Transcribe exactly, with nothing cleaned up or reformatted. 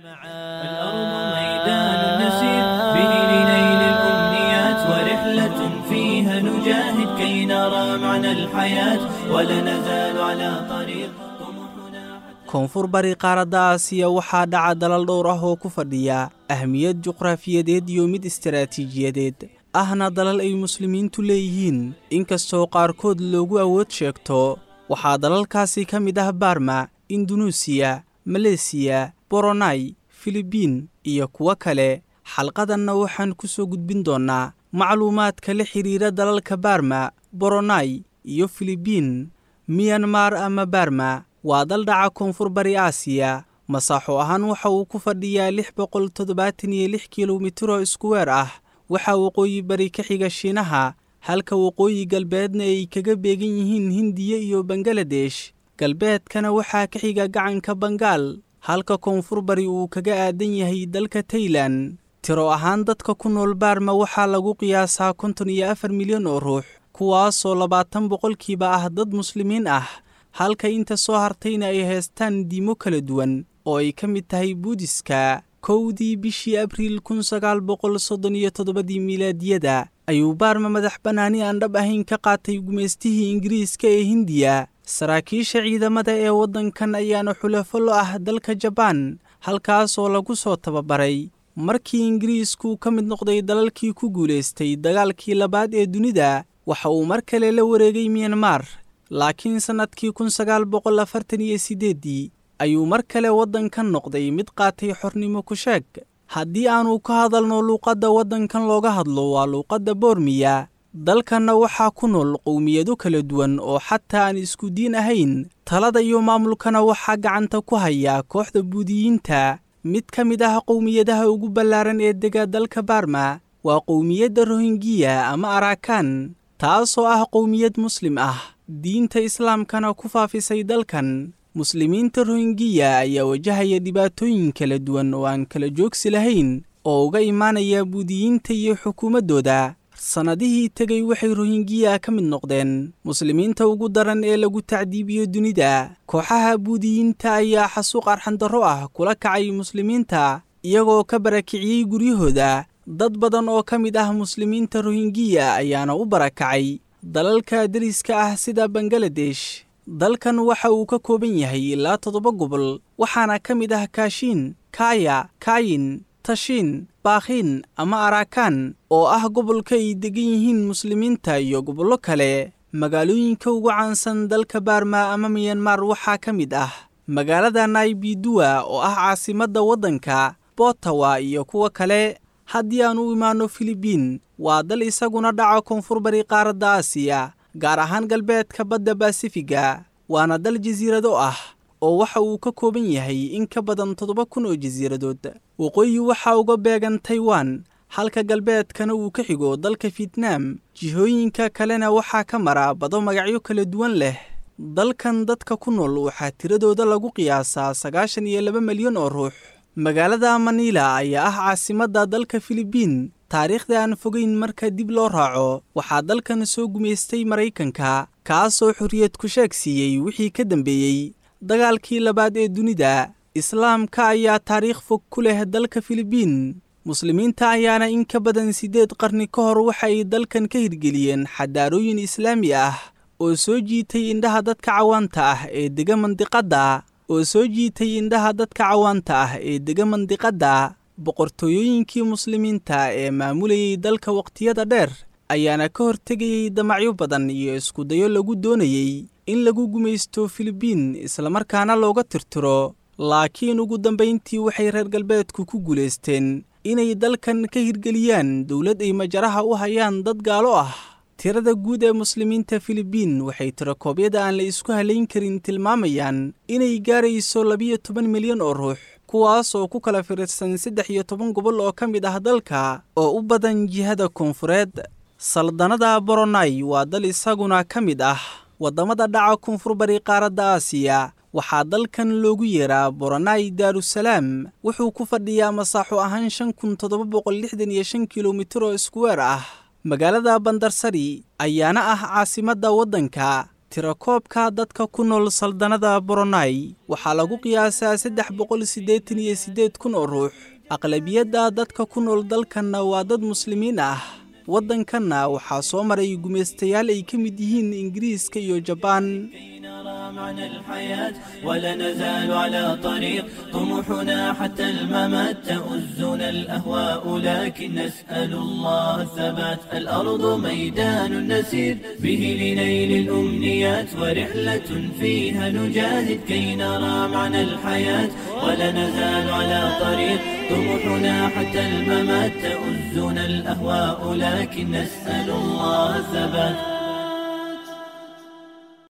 الأرض ميدان نسير به لنيل الأمنيات، ورحلة فيها نجاهد كي نرى معنى الحياة، ولا نزال على طريق طموحنا. Koonfur bari qaaradda Aasiya waxaa dhaca dalal dhowr ah oo ku fadhiya ahmiyad juqraafiyadeed iyo mid istaraatiijiyadeed, ahna dalal ay muslimiintu leeyihiin, inkastoo qaarkood loogu awood sheegto. Waxaa dalalkaasi ka mid ah Barma, Indunuusiya, Maleesiya, Boronai, Filibiin iyo kuwo kale. Xalqadanna waxaan ku soo gudbin doonnaa macluumaadka la xidhiira dalalka Barma, Boronai iyo Filibiin. Miyanmar ama Barma waa dal dhaca koonfur bari Aasiya. Masaaxo ahaan waxa uu ku fadhiyaa lix boqol toddobaatan iyo lix kilomitiro iskuweer ah. Waxaa waqooyi bari ka xiga Shiinaha, halka waqooyi galbeedna ay kaga beegan yihiin Hindiya iyo Bangaladesh. Galbeedkana waxaa ka xiga gacanka Bangaal, halka koonfur bari uu kaga aadan yahay dalka Taylan. Tiro ahaan dadka ku nool Baarma waxaa lagu qiyaasaa konton iyo afar milyan oo ruux, kuwaasoo labaatan boqolkiiba ah dad muslimiin ah, halka inta soo hartayna ay haystaan diimo kala duwan oo ay ka mid tahay Buudiska. Kowdii bishii Abriil kun sagaal boqol soddon iyo toddobadii miilaadiyada ayuu Baarma madax bannaani aan dhab ahayn ka qaatay gumaystihii Ingiriiska ee Hindiya. Saraakiisha ciidamada ee waddankan ayaana xulafo lo ah dalka Jabaan, halkaasoo lagu soo tababaray. Markii Ingiriisku ka mid noqday dalalkii ku guulaystay dagaalkii labaad ee dunida, waxa uu mar kale la wareegay Miyanmar, laakiin sannadkii kun sagaal boqol afartan iyo siddeeddii ayuu mar kale waddankan noqday mid qaatay xornimo ku sheeg. Haddii aanu ka hadalno luuqadda waddankan looga hadlo, waa luuqadda Boormiya. Dalkanna waxaa ku nool qowmiyado kala duwan oo xataa aan isku diin ahayn. Talada iyo maamulkana waxaa gacanta ku haya kooxda Buudiyiinta. Mid ka mid ah qowmiyadaha ugu ballaaran ee dega dalka Barma waa qowmiyadda Rohingiya ama Arakan, taasoo ah qowmiyad muslim ah, diinta islaamkana ku faafisay dalkan. Muslimiinta Rohingiya ayaa wajahaya dhibaatooyin kala duwan oo aan kala joogsi lahayn oo uga imaanaya Buudiyiinta iyo xukuumaddooda. Sannadihii tegay waxay Rohingiya ka mid noqdeen muslimiinta ugu daran ee lagu tacdiibiyo dunida. Kooxaha Buudiyiinta ayaa xasuuq arxandarro ah kula kacay muslimiinta, iyagoo ka barakiciyey guryahooda. Dad badan oo ka mid ah muslimiinta Rohingiya ayaana u barakacay dalalka deriska ah sida Bangaladesh. Dalkan waxa uu ka kooban yahay ilaa toddoba gobol, waxaana ka mid ah Kaashiin, Kaya, Kayin, Tashiin, Baakhin ama Arakan oo ah gobolka ay degan yihiin muslimiinta, iyo gobollo kale. Magaalooyinka ugu caansan dalka Baarma ama Miyanmar waxaa ka mid ah magaalada Naybidua oo ah caasimadda waddanka, Botawa iyo kuwo kale. Haddii aan u imaanno Filibiin, waa dal isaguna dhaca koonfur bari qaaradda Aasiya, gaar ahaan galbeedka badda Basifiga, waana dal jasiirado ah oo waxa uu ka kooban yahay in ka badan toddoba kun oo jasiiradood. Waqooyi waxaa uga beegan Taiwan, halka galbeedkana uu ka xigo dalka Fietnaam. Jihooyinka kalena waxaa ka mara bado magacyo kala duwan leh. Dalkan dadka ku nool waxaa tiradooda lagu qiyaasaa sagaashan iyo laba milyan oo ruux. Magaalada Manila ayaa ah caasimadda dalka Filibiin. Taariikhda aan fogeyn marka dib loo raaco, waxaa dalkan soo gumaystay Maraykanka, kaasoo xorriyad ku sheeg siiyey wixii ka dambeeyey dagaalkii labaad ee dunida. Islaamka ayaa taariikh fog ku leh dalka Filibiin. Muslimiinta ayaana in ka badan siddeed qarni ka hor waxa ay dalkan ka hirgeliyeen xadaarooyin islaami ah oo soo jiitay indhaha dadka cawaanta ah ee dega mandiqadda oo soo jiitay indhaha dadka cawaanta ah ee dega mandiqadda. Boqortooyooyinkii muslimiinta ee maamulayay dalka waqtiyada dheer ayaana ka hortegayay damacyo badan iyo iskudayo lagu doonayey in lagu gumaysto Filibiin islamarkaana looga tirtiro, laakiin ugu dambayntii waxay reer galbeedku ku guulaysteen inay dalkan ka hirgeliyaan dowlad ay majaraha u hayaan dad gaalo ah. Tirada guud ee muslimiinta Filibiin waxay tirakoobyada aan la isku halayn karin tilmaamayaan inay gaarayso labiyo toban milyan oo ruux, kuwaas oo ku kala firirsan saddex iyo toban gobol oo ka mid ah dalka oo u badan jihada koonfureed. Saldanada Boronai waa dal isaguna ka mid ah waddamada dhaca koonfur bari qaaradda Aasiya. Waxaa dalkan loogu yeeraa Boronai Daarusalaam. Wuxuu ku fadhiyaa masaaxo ahaan shan kun toddoba boqol lixdan iyo shan kilomitir oo iskuweer ah. Magaalada Bandarsari ayaana ah caasimadda waddanka. Tirakoobka dadka ku nool saldanada Brunei waxaa lagu qiyaasaa saddex boqol siddeetan iyo siddeed kun oo ruux. Aqlabiyadda dadka ku nool dalkanna waa dad muslimiin ah. Waddankanna waxaa soo maray gumaystayaal ay ka mid yihiin Ingiriiska iyo Jabaan. كي نرى معنى الحياة ولا نزال على طريق طموحنا حتى الممات. تؤزنا الأهواء لكن نسأل الله الثبات. الأرض ميدان نسير به لنيل الأمنيات، ورحلة فيها نجاهد كي نرى معنى الحياة ولا نزال على طريق طموحنا حتى الممات. تؤزنا الأهواء لكن نسأل الله الثبات.